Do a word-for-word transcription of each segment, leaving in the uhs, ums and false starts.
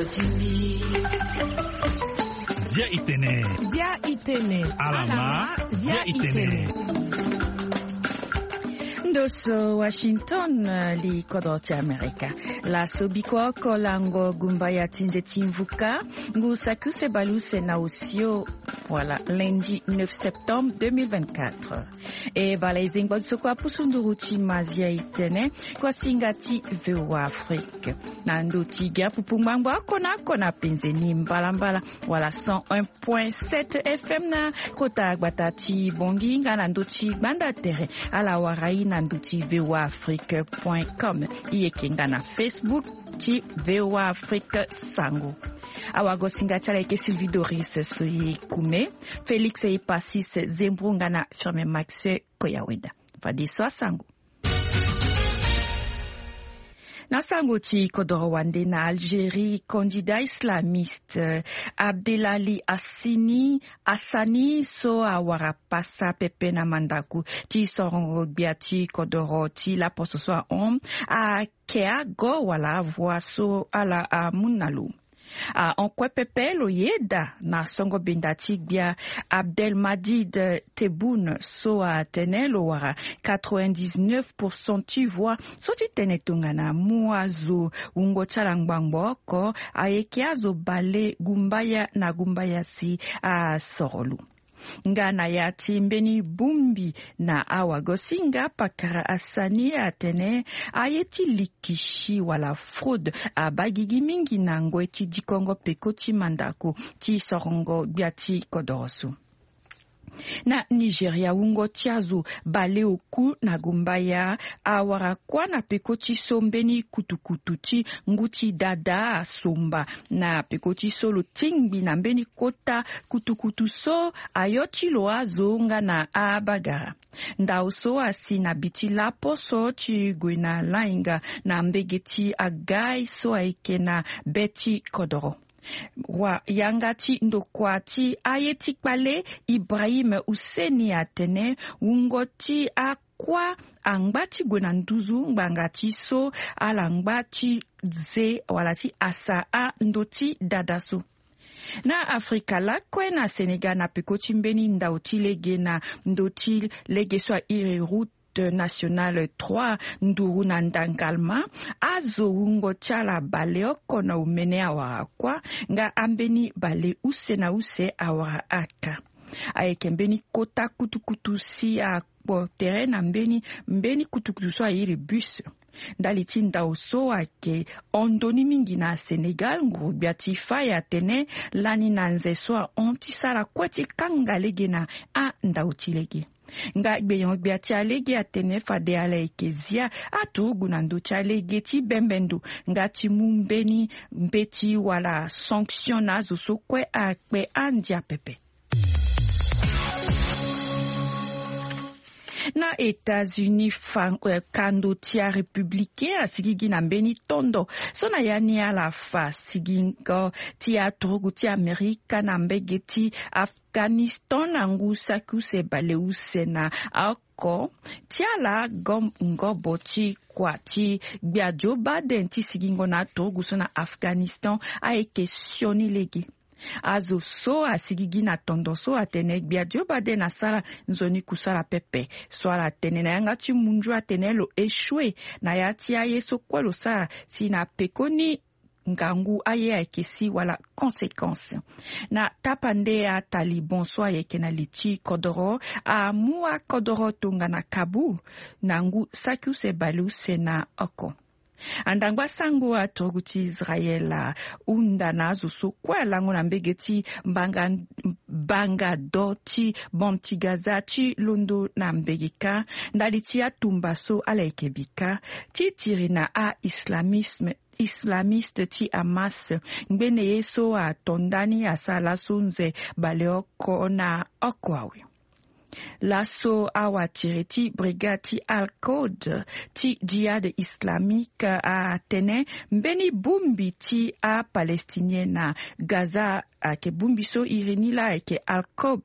Zia itene. Zia itene. Alama. Zia itene. Ndoso Washington, eh, li kodro ti Amerika. Laso biko oko lango gumba ya ti nze ti mvuka, ngu saki use baleuse na osio, wala lundi neuf septembre deux mille vingt-quatre. E bala e zengba ti so kue apusu nduru ti mazia itene, kua singa ti V O A Afrique. Na ndo ti gi apupu ngbangbo oko na oko na penze ni mbalambala, wala cent un point sept F M na kota gbata ti Bongi, nga na ndo ti gbanda tere, ala wara i na ndo ti V O A Afrique point com. I yeke nga na Facebook ti V O A Afrique Sango. Awagosinga ti ala yeke Sylvie Doris Soye Kume, Félix Epasis Zembro nga na Firmin Max Koyaweda. Fadeso asango. Na sango ti kodoro wande na Algérie, candidat islamiste, eh, Abdelali Assini, Assani so awara pasa pepe na mandaku ti sorongo gbia ti kodoro ti laposo so ahon, ake ago wala avoix so ala amu na lo. Ahon kue pepe lo yeda na songo benda ti gbia Abdelmadjid Tebboune so atene lo wara quatre-vingt-dix-neuf pour cent ti voix so ti tene tongana mu azo wungo ti ala ngbangbo oko, ayeke azo bale gumbaya na gumbaya si asoro lo. Nga na ya ti mbeni bongbi na awagosinga, pakara Assani atene aye ti likisi wala fraude abaa gigi mingi na ngoi ti dikongo peko ti mandaku ti sorongo gbia ti kodoro so. Na Nigeria, wungo ti azo baleoku na gumbaya awara kuâ na peko ti so mbeni kutukutu ti ngu ti dada asomba. Na peko ti so lo tingbi na mbeni kota kutukutu so ayo ti lo azo nga na abagara. Ndao so asi na bi ti laposo ti gue na lainga na mbege ti agai so ayeke na be ti kodoro. Wa yanga ti ndokua ti aye ti kpale Ibrahim Husseini atene wungo ti akuâ angba ti gue na nduzu ngbanga ti so ala ngba ti ze wala ti asa ando ti dada so. Na Afrika lakue, na Sénégal, na peko ti mbeni ndao ti lege na ndö ti lege so airi route nationale trois, nduru na ndangalma, azo wungo ti ala baleoko na omene awara kuâ, nga ambeni bale use na use awara aka. Ayeke mbeni kota kutukutu si akpo tere na mbeni, mbeni kutukutu so airi bus. Ndali ti ndao so ayeke hon ndoni mingi na Sénégal, nguru-gbia ti fai atene lani na nze so ahon ti sara kue ti kanga lege na andao ti lege. Nga gbenyo-gbia ti alege atene fade ala yeke zia aturugu na ndö ti alege ti bembe ndo, nga ti mu mbeni mbeti wala sanction na azo so kue akpe andia pepe. Na États-Unis, fa, eh, kando ti arépublicain asigigi na mbeni tondo so na ya ni ala fa sigingo ti aturugu ti Amerika na mbege ti Afghanistan na ngu saki use baleuse na oko ti ala gom-, ngobo ti kua ti gbia Joe Biden ti sigingo na aturugu so na Afghanistan ayeke sioni lege. Azo so asigigi na tondo so atene gbia Joe Biden asara nzoni kusala pepe. So ala tene na yanga ti munzu atene lo échoué na ya ti aye so kue lo sara si na pekoni ngangu aye ayeke si wala conséquence. Na tapande aTaliban so ayeke na li ti kodoro amu akodoro tongana Kaboul na ngu saki use baleuse na oko. Andangba sango aturugu ti Israel ahunda na azo so kue alango na mbege ti mbanga, mbanga do ti bande ti Gaza ti londo na mbege kâ ndali ti atumba so ala yeke bi kâ ti tiri na a-islamisme, islamiste ti Hamas, ngbene ye so ato ndani asara laso nze baleoko na oko awe. Laso awatiri ti brigade ti Al-Quds ti Jihad Islamique atene mbeni bongbi ti aPalestinien na Gaza ayeke bongbi so iri ni laa ayeke Al-Quds,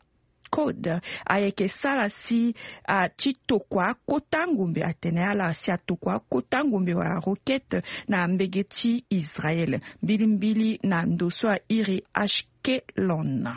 Code ayeke sara si a ti tokua akota ngombe, atene ala si atokua akota ngombe wala roquette na mbege ti Israël. Mbilimbili na ndo so airi Ashkelon.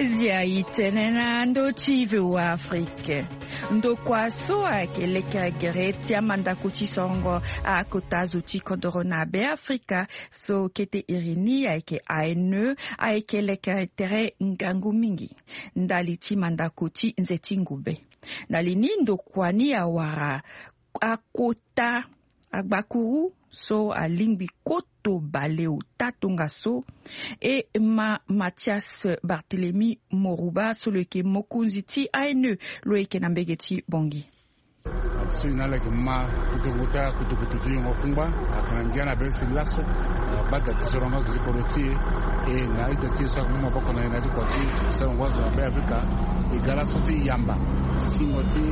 Zia itene na ndo ti V O A Afrique. Ndokua so ayeke lekere gere ti amandako ti sorongo akota zo ti kodoro na Be Afrika so kete iri ni ayeke A N E ayeke lekere tere ngangu mingi ndali ti mandako ti nze ti ngube. Ndali ni ndokua ni awara akota agbakuru so alingbi koto baleota tongaso. E ma Mathias Barthélemy Morouba so lo yeke mokonzi ti A N E lo yeke na mbege ti Bangui. So e na ala yeke ma ti tongo ti akutukutu ti yongo kungba ayeke na ngia na be si laso, ah, bada ti sorongo azo ti kodro ti e. E na ita ti e so ayeke mu maboko na e na ya ti kua ti sorongo azo na Be Afrika. E ga laso ti yamba singo ti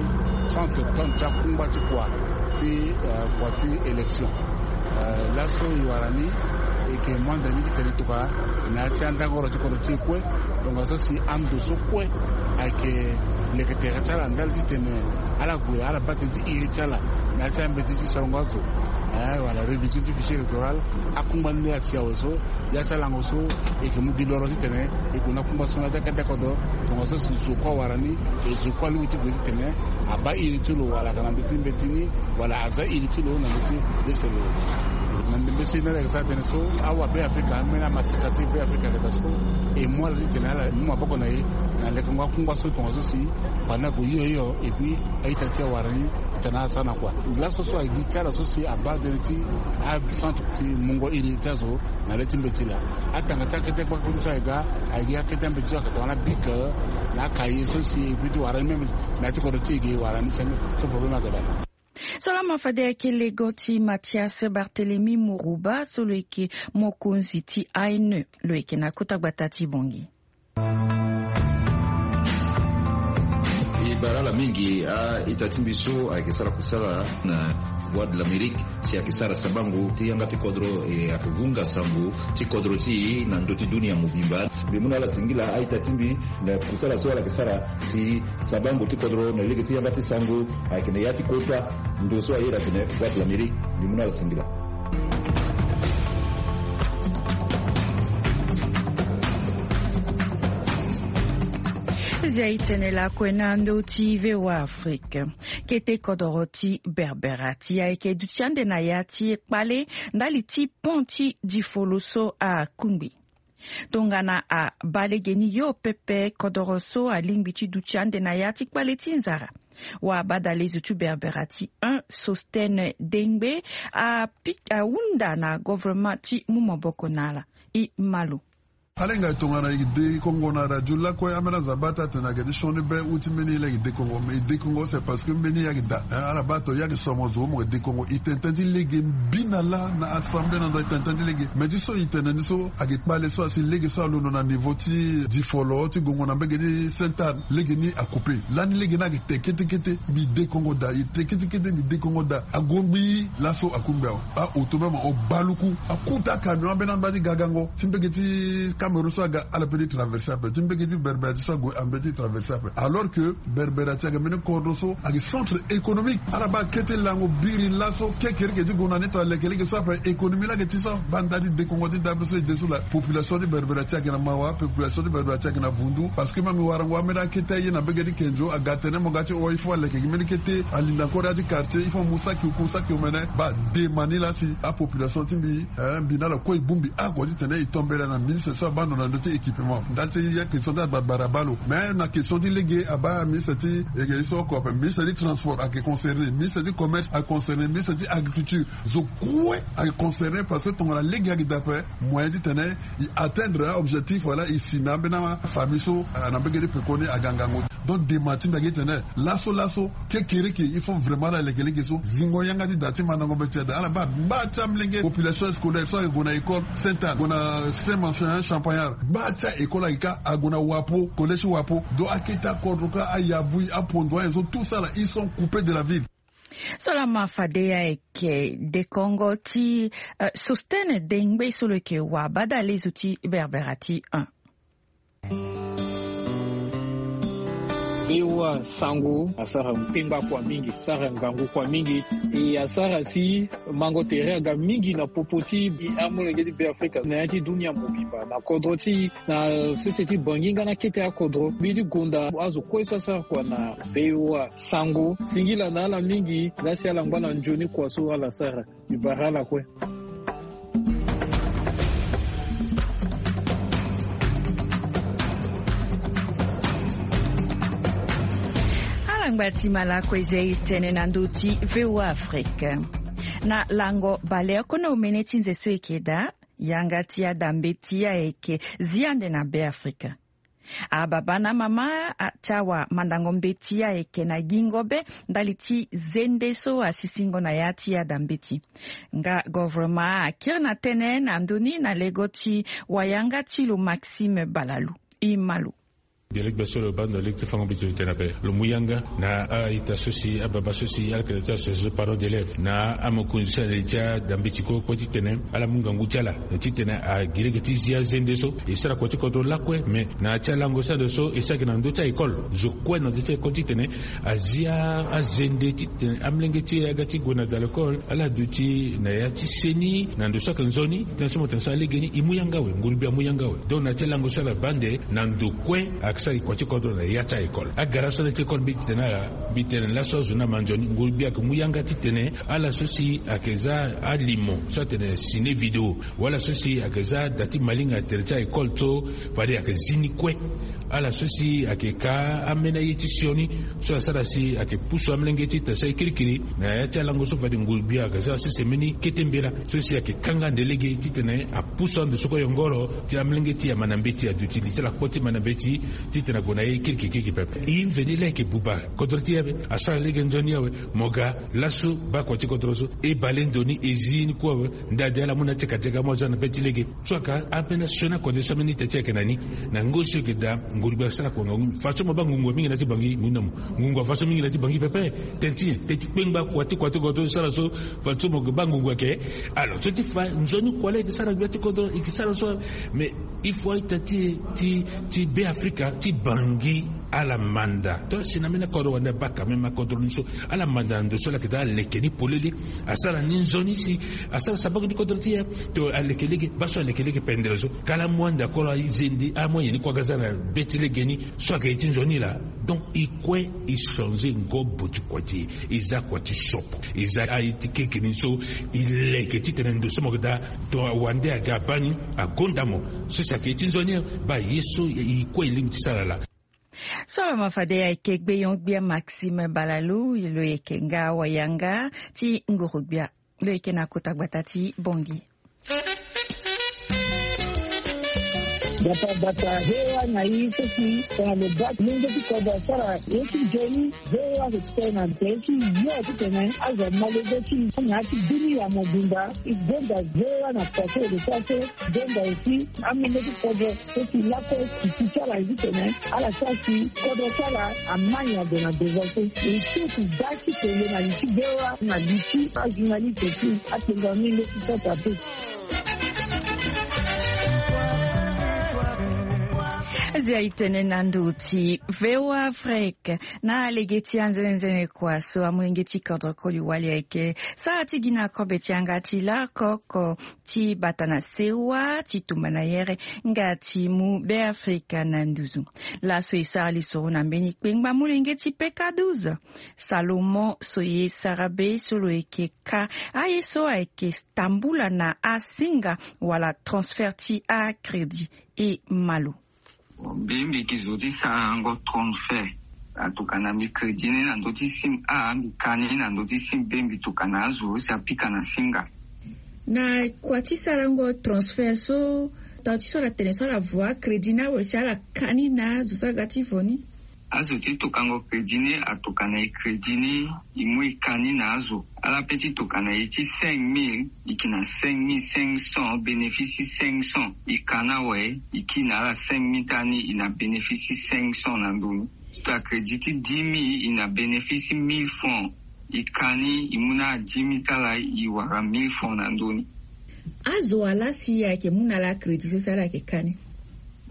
trente tonnes ti akungba ti kua ti, eh, kua ti élection. Eh, laso e wara ni, e yeke mu ande ni titene tokua na ya ti andangoro ti kodro ti e kue. Tongaso si ando so kue ayeke leke tere ti ala ndali titene ala gue ala baa tënë ti iri ti ala na ya ti ambeti ti sorongo azo, eh, wala révision ti fichier électoral. Akungba ni asi awe so, ya ti alango so e yeke mu gi loro titene e gue na kungba so na ya ti akete kodro. Tongaso si zo kue awara ni, e zo kue alingbi ti gue titene abaa iri ti lo wala ayeke na ndö ti mbeti ni, wala aza iri ti lo na ndö ti lese lo. Na ndembe so e na ala yeke sara tënë so awa Be Afrika, ambeni amaseka ti Be Afrika ayeke daa so, e mu ala titene ala mu maboko na e na lekengo akungba so tongaso si banda ague hio hio, et puis a-ita ti e awara ni titene ala sara na kua. Laso so ayeke gi ti ala so si abaa tënë ti acentre ti mungo iri ti azo na le ti mbeti laa. Atanga ti akete gbakuru so ayeke ga, ayeke gi akete ambeti so ayeke tongana bic, na akaye so si e bi ti wara ni même na ya ti kodro ti e ge e wara ni senge. So problème ayeke daa. So laa ma fade ayeke lego ti Mathias Barthélemy Morouba so lo yeke mokonzi ti A N E lo yeke na kota gbata ti Bangui. E bara ala mingi a-ita ti mbi so ayeke sara kusala na Voix de l'Amérique si ayeke sara sabango ti yanga ti kodro, e ayeke vunga sango ti kodro ti e na ndö ti dunia mobimba. Mbi mu na ala singila a-ita ti mbi na kusala so ala yeke sara si sabango ti kodro na lege ti yanga ti sango ayeke na ya ti kota ndo so airi atene Voix de l'Amérique. Mbi mu na ala singila. Zia e tene lakue na ndö ti V O A Afrique. Kete kodoro ti Berbera ti ayeke duti ande na ya ti kpale ndali ti pont ti Difolo so akungbi. Tongana abaa lege ni yo pepe, kodoro so alingbi ti duti ande na ya ti kpale ti nzara. Wa badale zo ti Berbera ti un, Sostene Dengbe, api-, ahunda na governement ti mu maboko na ala. E ma lo. Ala hinga e tongana e dekongo na radio lakue, ambeni azo abaa ti atene ayeke ti sioni be u ti mbeni ye laa e dekongo. Mais e dekongo c'est parce que mbeni ye ayeke daa. Hein, ala baa tongana e yeke somo zo mo yeke dekongo. E tene tënë ti lege mbi na laa na assemblée na ndo e tene tënë ti lege. Mais ti so e tene ni so ayeke kpale so asi lege so alondo na niveau ti Difolo ti gongo na mbege ti Sainte Anne. Lege ni acoupe. Lani lege ni ayeke te kete kete. Mbi dekongo daa, e te kete kete, mbi dekongo daa. Agongbi laso akungbi awe. A-auto même o baluku. Akota camion ambeni amba ti gagango ti mbege ti Cameroun so aga, ala pe ti traverser ape. Ti mbege ti Berbera ti so ague ambe ti traverser ape. Alors que Berbera ti ayeke mbeni kodro so ayeke centre économique. Ala baa kete lango biri laso kekereke ti gue na ni tongana lekeleke so ape économie laa ayeke ti so. Banda ti dekongo ti dabe so e de so laa, population ti Berbera ti ayeke na mawa, population ti Berbera ti ayeke na vundu. Parce que même warango ambeni akete aye na mbege ti Kenzo aga tene mo ga ti o, il faut aleke gi mbeni kete, alinda encore ya ti quartier, il faut amu saki oku saki omene. Baa dema ni laa si apopulation ti mbi, eh, mbi na ala kue e bongbi oko titene e tombela na ministre so abaa ndo na ndö ti équipement. Ndali ti ya question ti agbara abaa lo. Mais na question ti lege abaa ministre ti, eh, ye so oko ape, ministre ti transport ayeke concerné, ministre ti commerce ayeke concerné, ministre ti agriculture. Zo kue ayeke concerné parce que tongana lege ayeke daa ape, moyen titene e atteindre a-objectif wala e si na ambeni afamille so, ah, na mbege ti peko ni aga ngangu. Donc dema ti mbi ayeke titene laso laso kekereke il faut vraiment ala leke lege so zingo yanga ti daa ti mandango mbeti ti ada. Ala baa gbaa ti amolenge population scolaire so ayeke gue na école Sainte Anne, gue na Saint Marcin, Champagnard, gbaa ti a-école ayeke kâ, ague na Wapo, collège Wapo. Donc akete akodro kâ, ayavui, apondo ayen so, tout ça là, ils sont coupés de la ville. So lama fade ayeke dekongo ti, eh, Sostene Dengbe so lo yeke wa badale zo ti Berbera ti un. Bewa sango asara kpengba kua mingi, asara ngangu kua mingi. E asara si mango tere aga mingi na popo ti amolenge ti Beafrika na ya ti dunia mobimba na kodro ti na sese ti Bangi nga na kete akodro. Mbi ti gonda azo kue so asara kua na Bewa sango singila na ala mingi. Lasi ala ngba na nzoni kua so ala sara. Mbi bara ala kue. Ala ngba ti malako eza e tene na ndö ti Voa Afrique. Na lango baleoko na omene ti nze so eke daa, yanga ti ada mbeti ayeke zi ande na Beafrika. Ababa na amama ti awamandango mbeti ayeke na gingo be ndali ti zende so asisingo na ya ti ada mbeti. Nga govoroma akiri na tënë na ndö ni na lego ti wayanga ti lo Maxime Balalu. E ma lo. Gere gbe so lo baa ndo lege ti fango mbeti lo tene ape lo mu yanga na a-ita so si ababa so si ala yeke na ya ti association parents d'élèves na amokonzi so na li ti ada mbeti kue kue titene ala mu ngangu ti ala titene agi lege ti zi azende so. E sara kua ti kodro lakue me na ya ti alango so ande so e sara gi na ndö ti a-école zo kue na ndö ti a-école titene azi azende titene amolenge ti e aga ti gue na da l'école ala duti na ya ti seni na ndo so ayeke nzoni titene so mo tene so alege ni e mu yanga awe nguru gbia amu yanga awe. Donc na ya ti alango so ala baa nde na ndo kue ayeke sara gi kua ti kodro na ya ti a-école. Agara so ala ti école mbi titene ala mbi tene laso azo ni ama nzoni nguru gbia ayeke mu yanga titene ala so si ayeke za alimo so atene ciné vidéo wala so si ayeke za da ti malinga tere ti a-école so fade ayeke zi ni kue. Ala so si ayeke ka ambeni aye ti sioni so asara si ayeke pusu amolenge ti tene so aye kirikiri na ya ti alango so fade nguru gbia ayeke za sese mbeni kete mbela so si ayeke kanga ande lege titene apusu ande so kue yongoro ti amolenge ti e ama na mbeti aduti li ti ala kpo ti ma na mbeti titene ague na aye kirikiri kirikiri pepe. E mveni laa ayeke buba kodro ti e ape asara lege nzoni awe. Mo ga laso baa kua ti kodro so e bale ndo ni e zi ni kue awe. Nda ade ala mu na ti kati aga mo aza na be ti lege. So aka ambeni asioni akode so ambeni ita ti e ayeke na ni na ngoi so e yeke daa nguru gbia asara kua ngangu façon mo baa ngungu mingi na ya ti bangi ngu na mo. Ngungu afa so mingi na ya ti bangi pepe. Tene ti nyen? Tene ti kpengba kua ti kua ti kodro so sara so façon mo yeke baa ngungu ayeke. Alors so ti fa nzoni kua laa e yeke sara gbia ti kodro e yeke sara so. Mais il faut a-ita ti e ti ti Beafrika ti bangi ala manda to asi na mbeni akodro wande abaka même akodro ni so ala manda na ndo so ala yeke daa aleke ni polele. Asara ni nzoni si asara sabango ti kodro ti e. To aleke lege baa so aleke lege pendere so kala amu ande akolo azende amoyen ni kue aga za na be ti lege ni so ayeke ye ti nzoni laa. Donc e kue e changer ngobo ti kua ti e e za kua ti soko e za aye ti keke ni so e leke titene ndo so mo yeke daa. To awande aga abaa ni agonda mo so si ayeke ye ti nzoni baa ye so e kue e lingbi ti sara laa. So lo ma fade ayeke gbeyon-gbia Maxime Balalu lo yeke nga wayanga ti nguru-gbia lo yeke na kota gbata ti Bongi. Gbata gbata he wa na i so si tongana lo baa ti lenge ti kodro asara ye ti nzoni. Ve wa respect na nze ti yo titene azo amolenge ti na ya ti dunia mobimba. E gonda ve wa na kua so e lo sara so. Gonda aussi amolenge ti kodro so si lakue si ti ti ala ye titene ala sara si kodro ti ala amai ade na devant so. E tout da ti tele na li ti ve wa na li ti ajournaliste aussi. Atenga mingi ti sota pe. Zia e tene na ndo ti Voa Afrique na lege ti anzenenzene kua so amolenge ti kodro koli wali ayeke sara ti gi na kobe ti yanga ti lakoko ti bata na sewa ti tumba na yere nga ti mu Beafrika na nduzu. Laso e sara lisoro na mbeni kpengba molenge ti peka douze Salomon so ye sara be so lo yeke ka aye so ayeke tambula na asinga wala transfert ti acrédit. E ma lo. Mbi mbi yeke zo ti sarango transfert. Atokana mbi crédit ni na ndö ti sim a mbi ka ni na ndö ti sim be mbi tokana azo si apika na singa. Na kua ti sarango transfert so tau ti so ala tene so ala vo acrédit ni awe si ala ka ni na azo so aga ti vo ni. Azo ti tokango crédit ni atokana e crédit ni e mu e ka ni na azo. Ala pe ti tokana e ti cinq mille e yeke na cinq mille cinq cents bénéfice ti cinq cents. E ka ni awe e kiri na ala cinq mille ti ala ni e na bénéfice ti cinq cents na ndo ni. Ti to acrédit ti dix mille e na bénéfice ti mille francs. E ka ni, e mu na dix mille ti ala, e wara mille francs na ndö ni. Azo wa laa si ayeke mu na ala crédit so si ala yeke ka ni?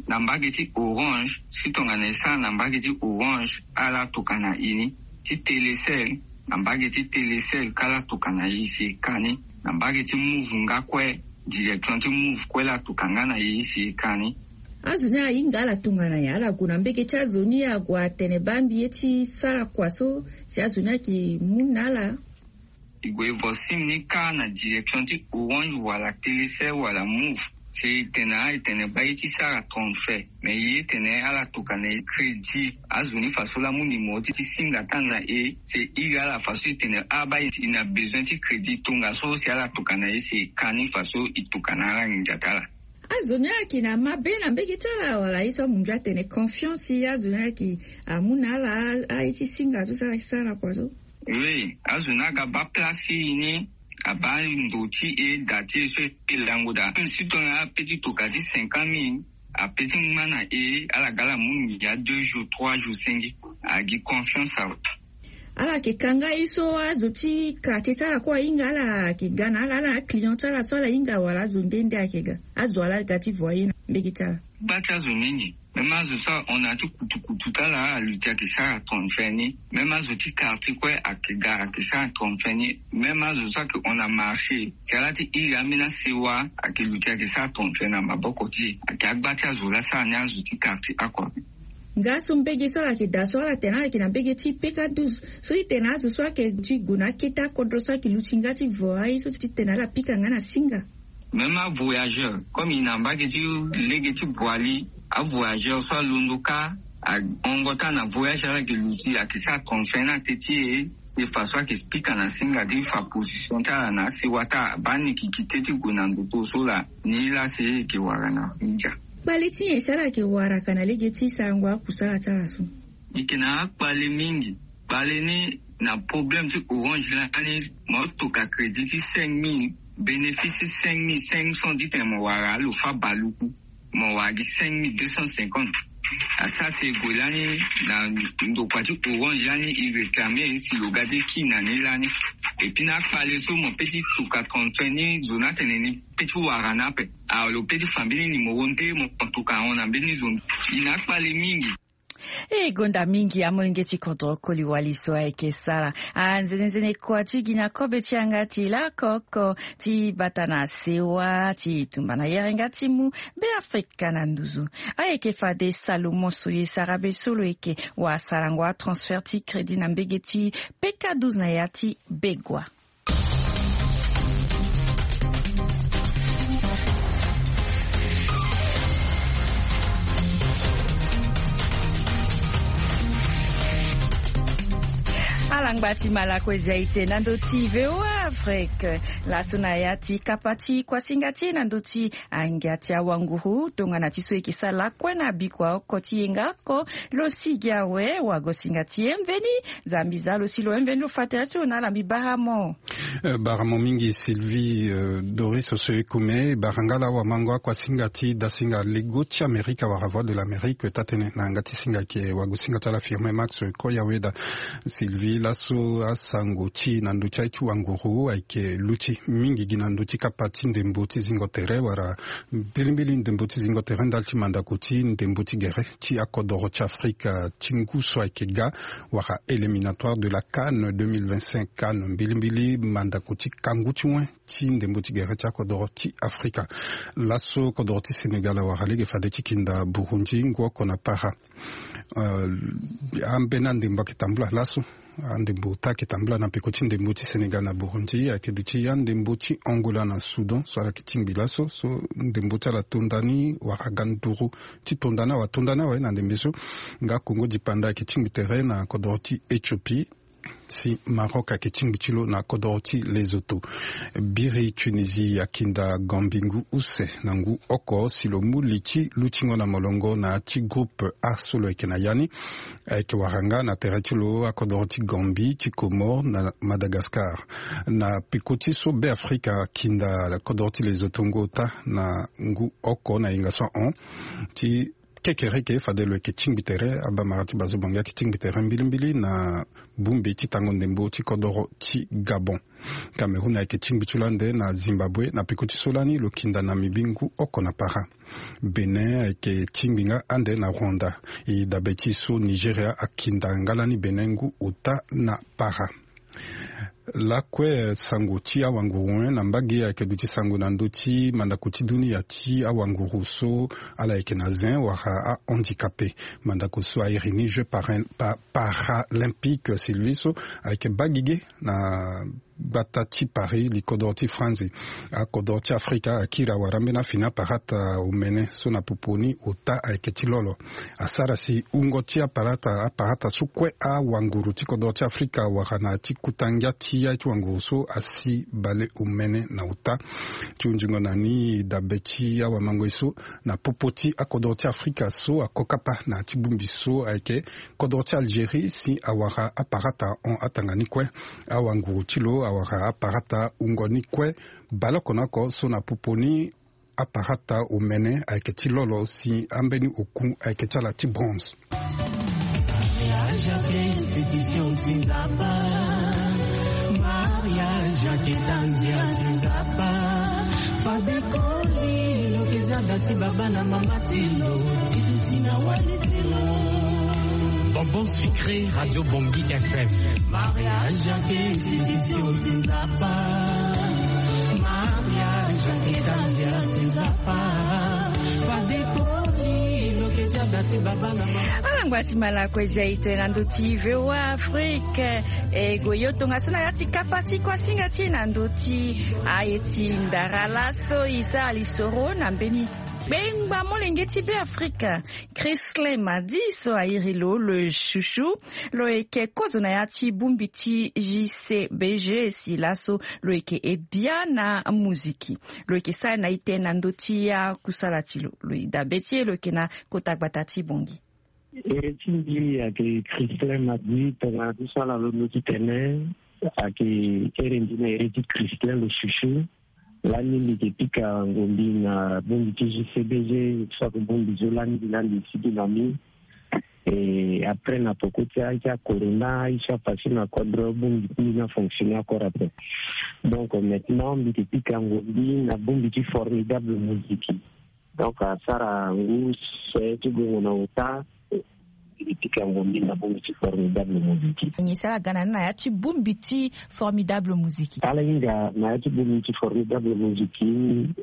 Na mbage ti Orange, si tongana e sara na mbage ti Orange, ala tokana e ni. Ti Télécel, na mbage ti Télécel kâ ala tokana e si e ka ni. Na mbage ti Moov nga kue, direction ti Moov kue, ala toka nga na e si e ka ni. Azo ni ahinga ala tongana nyen? Ala gue na mbage ti azo ni, ague atene baa mbi ye ti sara kua so si azo ni ayeke mu na ala? E gue e vo sim ni kâ na direction ti Orange wala Télécel wala Moov. Si e tene, e tene baa ye ti sara transfert. Mais e tene ala tokana e crédit. Azo ni faso laa amu numéro ti, ti singa ti ala na e, si e iri ala faso e tene, ah, baa e na besoin ti crédit, tongaso si ala tokana e si e ka ni faso e tokana ala nginza ti ala. Azo ni ayeke na mabe na mbage ti ala, wala ye so amu ndia atene confiance, azo ni ayeke amu na ala aye ti singa so si ala yeke sara kua so? Oui, azo ni aga baa place ti e ni, abaa ndo ti e, da ti e so e lango daa. Si tongana ape ti toka ti cinquante mille, ape ti ngba na e, ala ga ala mu nginza deux jours, trois jours, cinq jours. Agi confiance awe. Ala yeke ka nga ye so azo ti quartier ti ala kue ahinga ala, ayeke ga na ala, ala na aclient ti ala so ala hinga, wala azo nde nde ayeke ga? Azo wa laa aga ti vo aye na mbage ti ala? Gba ti azo mingi. Même azo so ahon na ya ti kutukutu ti ala, aluti ayeke sara transfert ni. Même azo ti quartier kue ayeke ga, ayeke sara transfert ni. Même azo so ayeke hon na marché, si ala ti iri ambeni asewa, ayeke luti ayeke sara transfert na maboko ti e. Ayeke agba ti azo laa asara ni, azo ti quartier oko ape. Nga so mbage so ala yeke daa so, ala tene ala yeke na mbage ti P K douze. So e tene azo so ayeke ti gue na akete akodro so ayeke luti nga ti vo aye so ti tene ala pika nga na singa? Même avoyageur, comme e na mbage ti lege ti Boali, avoyageur so alondo kâ, ahongo ti ala na voyage, ala yeke luti, ayeke sara transfert na teti e. Si faso ayeke pika na singa ti fa position ti ala na asewa ti ala, baa ni yeke kite ti gue na ndoto so laa, ni laa si e yeke wara na ndia. Kpale ti nyen si ala yeke wara ka na lege ti sarango akusala ti ala so? E yeke na akpale mingi. Kpale ni na problème ti Orange lani, mo toka crédit ti cinq mille, bénéfice ti cinq mille cinq cents ti tene mo wara, alo fâ baluku, mo wara gi cinq mille deux cent cinquante. Asara si e gue lani na ndokua ti Orange lani, e réclamer si lo ga ti ki na ni lani. Et puis na akpale so mo pe ti toka transfert ni, zo ni atene ni pe ti wara ni ape. Alors lo pe ti fa mbeni numéro nde mo toka ahon na mbeni zo ni. E na akpale mingi. E gonda mingi amolenge ti kodro koli wali so ayeke sara anzenenzene kua ti gi na kobe ti yanga ti laoko oko ti bata na sewa ti tumba na yere nga ti mu Beafrika na nduzu. Ayeke fade Salomon so ye sara be so lo yeke wasarango atransfert ti crédit na mbege ti P K douze na ya ti Begua. Alangba ti Malakozi aite na ndo ti V O A Afrique. Laso na ya ti kapa ti kuasinga ti e na ndo ti angia ti awanguru tongana ti so e yeke sara lakue na bikua oko ti yenga oko. Lo sigi awe, wagosinga ti e mveni. Nzambi za lo si lo mveni, lo fa tere ti lo na ala. Mbi bara mo. Eh, bara mo mingi Sylvie, eh, Doris Oso Ekume, bara nga laa wamango akuasinga ti dasinga lego ti Amerika wala Voix de l'Amérique, taa tënë na yanga ti singa ayeke wagosinga ti ala Firmin Max Koyaweda. Sylvie, laso asango ti e na ndö ti aye ti wanguru ayeke luti mingi gi na ndö ti kapa ti ndembo ti zingo tere wala mbilimbili ndembo ti zingo tere ndali ti mandako ti ndembo ti gere ti akodoro ti Afrika ti ngu so ayeke ga, wala éliminatoire de la CAN deux mille vingt-cinq, CAN mbilimbili mandako ti kangu ti wen ti ndembo ti gere ti akodoro ti Afrika. Laso kodoro ti Sénégal awara lege fade ti kinda Burundi ngu oko na para. Eh, ambeni andembo ayeke tambula laso. Andembo ota ayeke tambula na peko ti ndembo ti Sénégal na Burundi, ayeke duti andembo ti Angola na Soudan so ala yeke tingbi laso, so ndembo ti ala tonda ni wala ga nduru ti tonda ni awe, atonda ni awe na ndembe so. Nga Congo dipanda ayeke tingbi tere na kodoro ti Éthiopie, si Maroc ayeke tingbi ti lo na kodoro ti Lesotho. Biri Tunisie akinda Gambie ngu use na ngu oko si lo mu li ti lutingo na molongo na ya ti groupe A so lo yeke na ya ni. Ayeke wara nga na tere ti lo akodoro ti Gambie, ti Comores na Madagascar. Na peko ti so Beafrika akinda kodoro ti Lesotho ngu ota na ngu oko na yenga so ahon ti kekereke fade lo yeke tingbi tere. Abamara ti Bazo Bangui ayeke tingbi tere mbilimbili na bongbi ti tango ndembo ti kodoro ti Gabon. Cameroun ayeke tingbi ti lo ande na Zimbabwe na peko ti so lani lo kinda na mibi ngu oko na para. Bénin ayeke tingbi nga ande na Rwanda. E dabe ti so Nigeria akinda nga lani Bénin ngu ota na para. Lakue sango ti awanguru, eh, na mbage ayeke duti sango na ndö ti mandako ti dunia ti awanguru so ala yeke na zin wala ahandicapé. Mandako so airi ni Jeux para-, pa-, paralympique Sylvie so ayeke baa gigi na gbata ti Paris, li kodoro ti France. Akodoro ti Afrika akiri awara ambeni afini aparata omene so na popo ni ota ayeke ti lolo. Asara si wungo ti aparata, aparata so kue awanguru ti kodoro ti Afrika wara na ya ti kuta ngia ti ya ti wanguru so asi bale omene na ota. Ti hunzingo na ni dabe ti awamangoi so na popo ti akodoro ti Afrika so akokapa na ya ti bongbi so ayeke kodro ti Algérie si awara aparata ahon atanga ni kue. Awanguru ti lo awara aparata wungo ni kue. Baleoko na oko so na popo ni aparata omene ayeke ti lolo si ambeni oku ayeke ti ala ti bronze. Mariage ayeke institution ti Nzapa. Mariage ayeke tanzia ti Nzapa. Fade koli lo yeke zia da ti baba na mama ti lo ti duti na walisi lo. Bonbon sucré, Radio Bangui F M. Mariage ayeke institution ti Nzapa. Mariage ayeke tanzia ti Nzapa. Fade koli lo yeke zia da ti baba na mama. Ala ngba ti malako e zia e tene na ndö ti V O A Afrique. E gue yo tongaso na ya ti kapa ti kuasinga ti e na ndö ti aye ti ndara laso e sara lisoro na mbeni kpengba molenge ti Beafrika, Christlin Madi so airi lo le chouchou. Lo yeke kozo na ya ti bongbi ti J C B G si laso lo yeke e bia na muziki. Lo yeke sara na e tene na ndö ti akusala ti lo. Lo e dabe ti e lo yeke na kota gbata ti Bangui. Ere ti mbi ayeke Christlin Madi, tongana ti so ala londo titene ayeke ere mbi na ere ti Christlin le chouchou. Lani mbi yeke pika ngombi na bongbi ti J C B G, soit bongbi so lani mbi lani mbi sigi na ni. Et après na poko ti aye ti acorona, aye so apassé na kodro, bongbi ti mbi ni afonctionné encore après. Donc maintenant mbi yeke pika ngombi na bongbi ti Formidable Musique. Donc asara ngu se ti gongo na ota. Mbi yeke pika ngombi na bongbi ti Formidable Musique. Nyen si ala ga na ni na ya ti bongbi ti Formidable Musique? Ala hinga na ya ti bongbi ti Formidable Musique,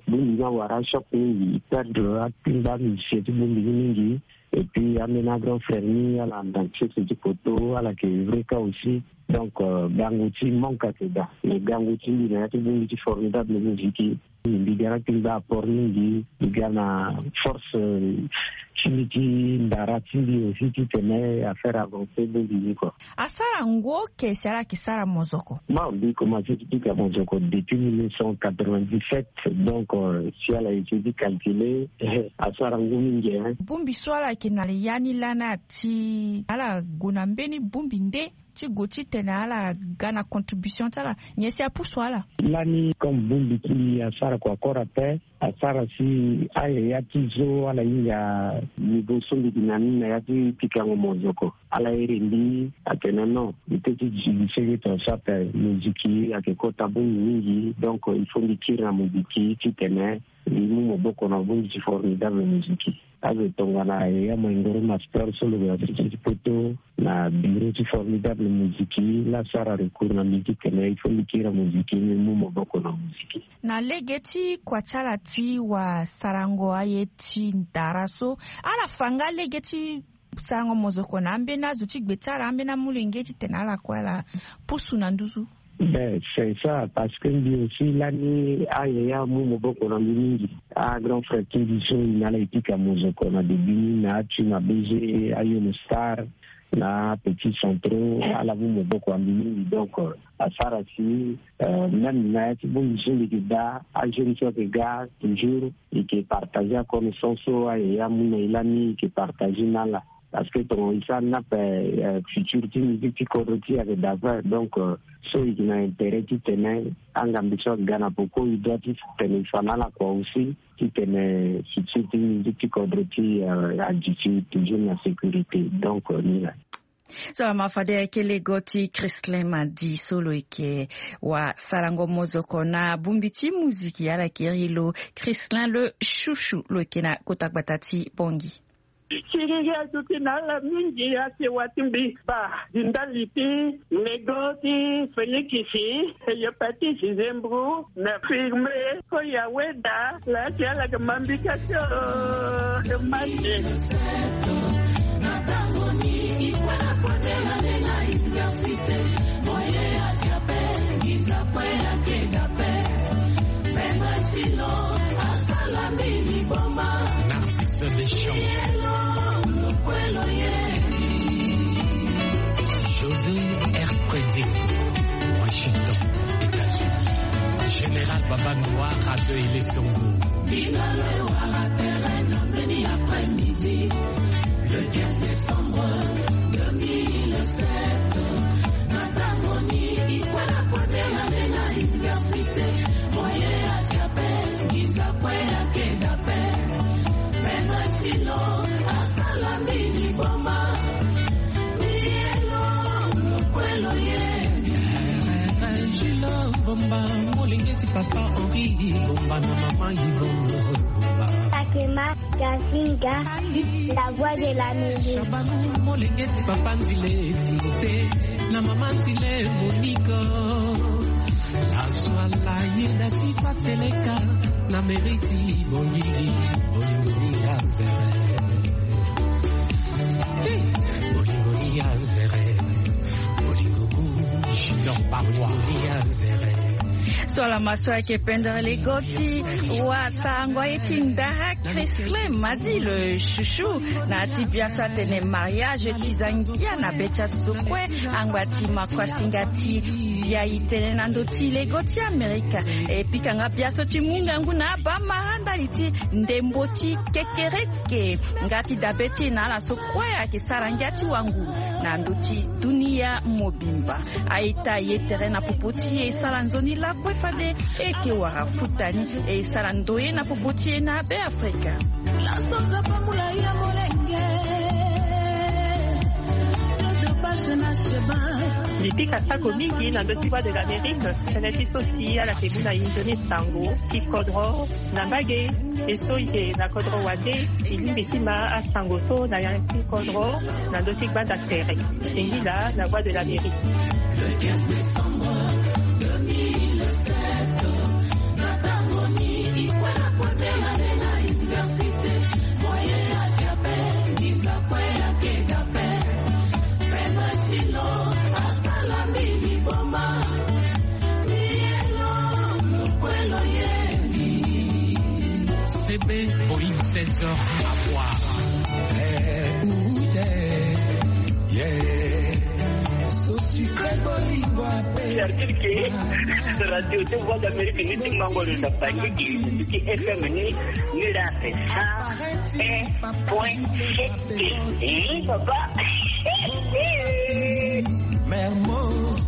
bongbi ni awara choc mingi, e perdre akpengba musicien ti bongbi ni mingi. Et puis ambeni grand frère ni ala na sese ti poto, ala yeke vrai cas aussi. Donc euh, gango ti manque ayeke daa. Mais gango ti mbi na ya ti bongbi ti Formidable Musique, mbi ga na akpengba apport mingi, mbi ga na force, euh, ti mbi ti ndara ti mbi aussi titene a faire avancer bongbi ni quoi. Asara ngu oke si ala yeke sara mozoko? Bon, mbi commencé ti pika mozoko depuis mille neuf cent quatre-vingt-dix-sept. Donc euh, si ala essayer ti calculer, asara ngu mingi, hein. Bongbi so ala yeke na ya ni lani, ti ala gue na mbeni bongbi nde ti gue titene ala ga na contribution ti ala? Nyen si apusu ala? Lani comme bongbi ti mbi asara kua kora ape, asara si ayaya ti zo ala hinga niveau so mbi yeke na ni na ya ti pikango mozoko. Ala iri mbi atene non, mbi peut ti duti senge ton so ape, moziki ayeke kota bongbi mingi. Donc il faut mbi kiri na moziki titene mbi mu maboko na bongbi ti Formidable Musique. Azo tongana yaya Maingoro Master so lo yeke na sese ti poto na bureau ti Formidable Musique, la asara recours na mbi titene il faut mbi kiri na moziki, mbi mu maboko na moziki. Na lege ti kua ti ala ti wasarango aye ti ndara so, ala fa nga lege ti sarango mozoko na ambeni azo ti gbe ti ala, ambeni amolenge titene ala kue ala pusu na nduzu? Ben c'est ça, parce que mbi aussi lani ayaya amu maboko na mbi mingi. Agrand frère ti mbi so e na ala e pika mozoko na début ni, na Atu, na B G, Ayono Star, na Petit Centro, ala mu maboko na mbi mingi. Donc euh, asara si euh, même na ya ti bongbi so mbi yeke daa, ajeune so ayeke ga toujours e yeke partager aconnaissance so ayaya amu na e lani, e yeke partager na ala. Parce que tongo e sara ni ape, futur ti musique ti kodro ti e ayeke dape. Donc so e yeke na intérêt titene angambe so aga na poko e doit titene e fa na ala kua aussi, titene futur ti musique ti kodro ti e agi ti toujours na sécurité. Donc ni la. So ama fade ayeke lego ti Christlin Madi so lo yeke wa sarango mozoko na bongbi ti muziki ala yeke iri lo Christlin le Chouchou, lo yeke na kota gbata ti Bangui. Siriri aduti na ala mingi, asewa ti mbi baa di ndali ti lego ti Félix, Hépatite, Zembrou, na Firme, Koyaweda, la ti ala yeke ma mbi ka ti o. Mande. Narcisse Deschamps. José R. Prédé, Washington, États-Unis. Général Baba Noir, Radio Aile Songo. Bino le wara tere na mbeni après-midi, le quinze décembre deux mille sept. Na tango ni, ikwe na kwe de la de la université. Moye ya kiape, ngiza kwe ya kedape. Pedro Silo, asala mbili boma. Mielo, lokwelo ye. Jules Bomba, molenge ti papa Henri Bomba na mama Yvonne Bomba. Takema, Gazinga, la voix de la musique. Shabanou, molenge ti papa Nzile Timothée na mama Nzile Monica. Laso ala yeda ti Paseleka na mairie ti Bangui, bolingo ni ya nzere. Bolingo ni ya nzere. Bolingo ku Junior Barwa. Bolingo ni ya nzere. So ala ma so ayeke pendere lego ti wa sarango aye ti ndara Christlin Madi le Chouchou, na ya ti bia so atene mariage ti zangia na be ti azo kue, angba ti ma kua singa ti dia e tene na ndö ti lego ti Amerika. E pika nga bia so ti mu ngangu na abamara ndali ti ndembo ti kekereke nga ti dabe ti e na ala so kue ayeke sara ngia ti wanguru na ndö ti dunia mobimba. A-ita ye tere na popo ti e, e sara nzoni lakue fade e yeke wara futa ni, e sara ndoye na popo ti e na Be Afrika. Laso Nzapa mula ya molenge. Mbi pika sako mingi na ndö ti Voix de l'Amérique, tënë ti so si ala yeke mu na e nzoni sango ti kodro na mbage. E so e yeke na kodro wande, e lingbi ti ma asango so na ya ti kodro na ndö ti gbanda tere. Singila na Voix de l'Amérique. Le quinze décembre deux mille sept, na tango ni ikwe na kwe de la de la université. Moye ya kiape, ngiza kwe ya kedape. Pedro Silo, asala mbili boma. Mielo, lokwelo ye. C B Boeing seize heures à voir. Certitude que radio ti Voix d'Amérique ni ti mango lo na bangi gi ti F M ni, ni la c'est ça. Un point sept. Eh, papa. Mermoz,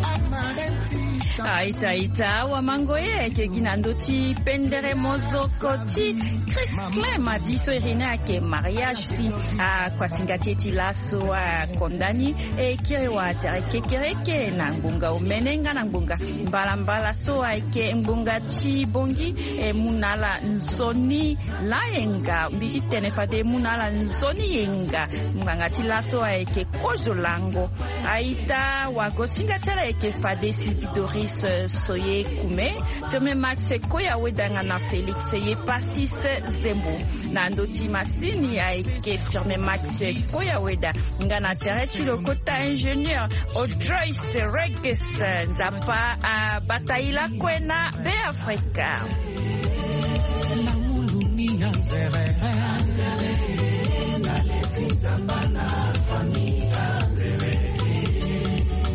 Amarenti. A-ita, ita, awamango ye ayeke gi na ndö ti pendere mozoko ti Christlin Madi so iri ni ayeke mariage si akuasinga ti e ti laso akonda ni. E kiri wa tere kekereke na ngbonga omene nga na ngbonga mbalambala so ayeke ngbonga ti bongi. E mu na ala nzoni layenga, mbi ti tene fade e mu na ala nzoni yenga. Nganga ti laso ayeke kozo lango. A-ita, wagosinga ti ala ayeke fade Sylvie Doris Soye Kume, Firme Max Koya Wedanga na Félix Yepasis Zembo. Na ndö ti masini ayeke Firme Max Koya Weda nga na tere ti lo kota ingénieur Audrois Reges. Nzapa abata e lakue na Be Afrika.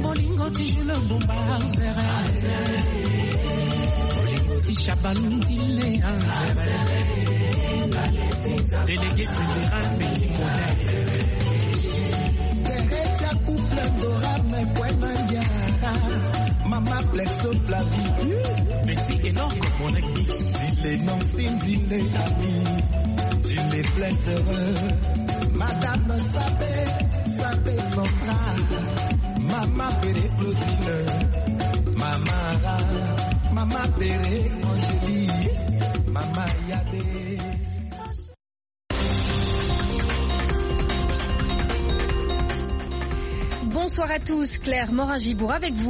Bolingo ti Jules Bomba, bolingo ti Shabalou Nzile, délégué Sylvera, petit modèle. Dora me kwena yara. Mama Plexo Flavie. Merci énorme, mon ex. Dile non sin dile ami. Dile Plexo. Madame Sabe, Sabe Central. Mama Fere Claudine. Mama Ra. Mama Fere Angélie. Mama Yade. Bonsoir à tous, Claire Morin-Gibourg avec vous.